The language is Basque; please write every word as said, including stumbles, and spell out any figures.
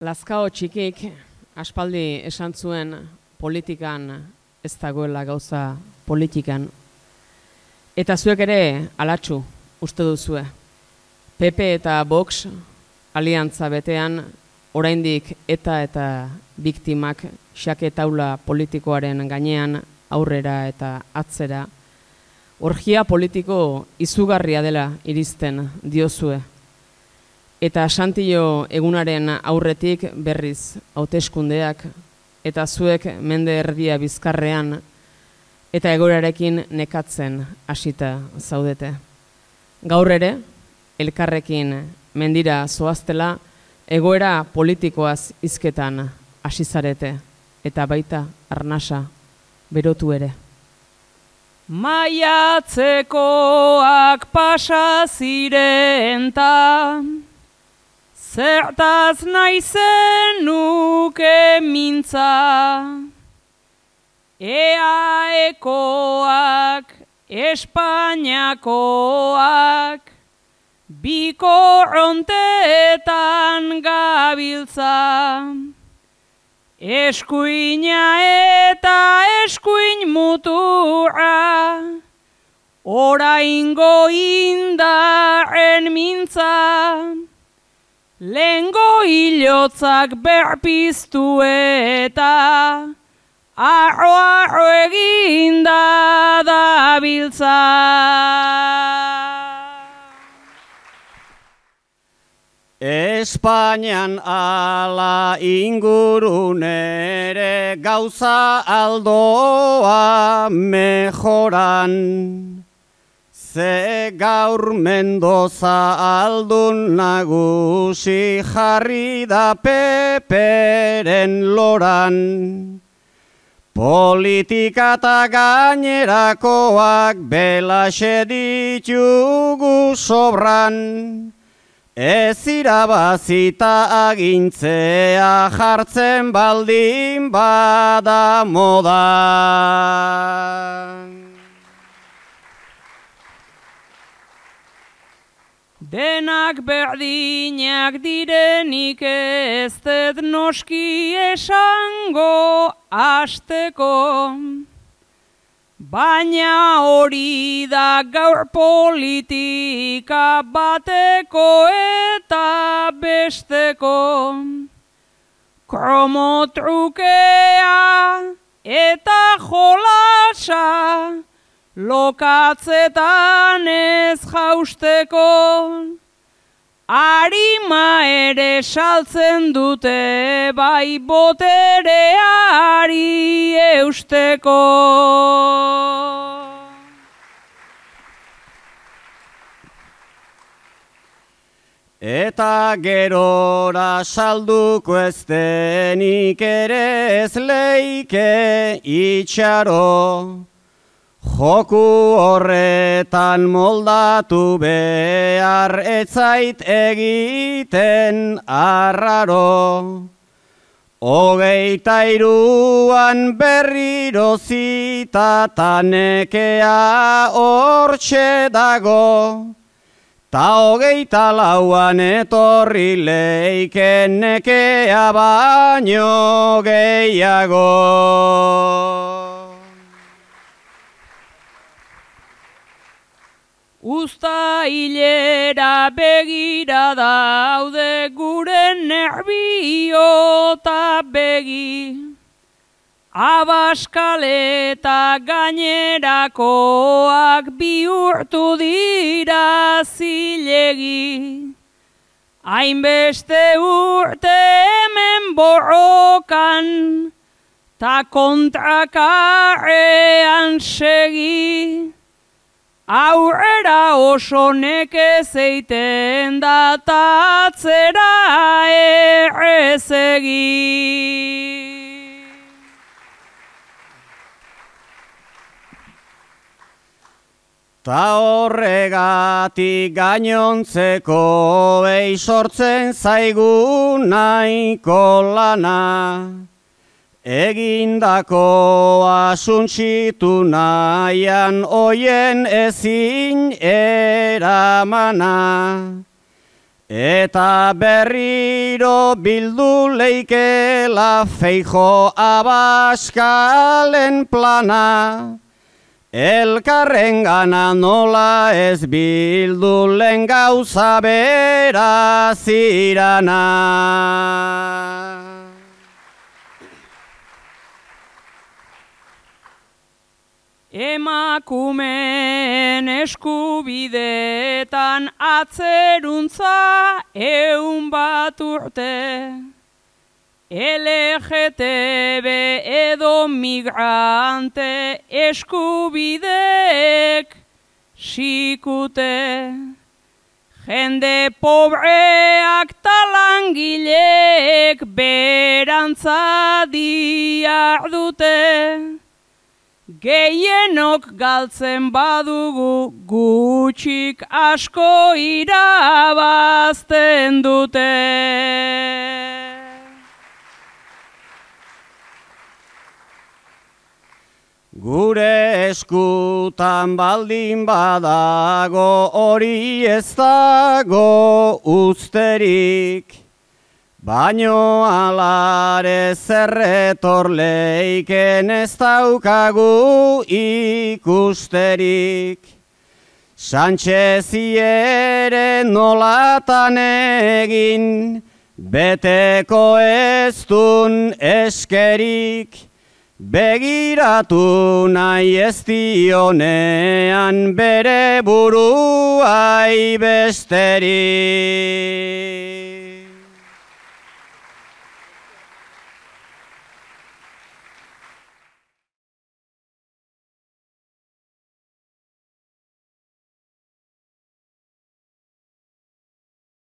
Lazkao txikik aspaldi esan zuen politikan ez dagoela gauza politikan. Eta zuek ere alatsu uste duzue. P P eta Vox aliantza betean oraindik eta eta biktimak xake taula politikoaren gainean aurrera eta atzera. Orgia politiko izugarria dela iristen diozue. Eta Santillo egunaren aurretik berriz hauteskundeak eta zuek mende erdia bizkarrean eta egoerarekin nekatzen hasita zaudete. Gaur ere, elkarrekin mendira zoaztela egoera politikoaz hizketan hasi zarete eta baita arnasa berotu ere. Maiatzekoak pasa ziren ta zertaz naizen nuke mintza, eaekoak, Espainiakoak, biko ronteetan gabiltza, eskuina eta eskuin mutura, oraingo indarren mintza, lengo hilotzak berpiztu eta arro-arro eginda dabiltza. Espainian ala ingurunere gauza aldoa mejoran. Ze gaur Mendoza aldun nagusi jarri da peperen loran. Politika eta gainerakoak belaxe ditugu sobran. Ez irabazita agintzea jartzen baldin bada modan. Denak berdinak direnik ez dut noski esango hasteko, baina hori da gaur politika bateko eta besteko. Kromotrukea eta jolasa, lokatzetan ez jausteko, arima ere saltzen dute bai botereari eusteko. Eta gerora salduko ez denik ere ez leike itxaro. Joku horretan moldatu behar etzait egiten arraro. Hogeita iruan berriro zita ta nekea hortxe dago. Ta hogeita lauan etorri leiken nekea baino gehiago. Uzta hilera begira daude gure nerbio eta begi, Abaskale eta gainerakoak bihurtu dira zilegi, hainbeste urte hemen borrokan, ta kontrakarrean segi. Aurrera oso nekez eiten da ta atzera errezegi. Ta horregatik gainontzeko ei sortzen zaigu nahiko lana. Egindakoa suntsitu nahian oien ezin eramana. Eta berriro bildu leikela Feijo Abaskalen plana, elkarren gana nola ez bildu lehen gauza bera zirana. Emakumeen eskubideetan atzeruntza eun bat urte. L G T B edo migrante eskubideek sikute. Jende pobreak talangileek berantza diardute. Gehienok galtzen badugu gutxik asko irabazten dute. Gure eskutan baldin badago hori ez dago usterik, baino alare zerretor leiken ez daukagu ikusterik. Sánchezi ere nolatan egin, beteko ez dun eskerik, begiratu nahi ez dionean bere buruai besterik.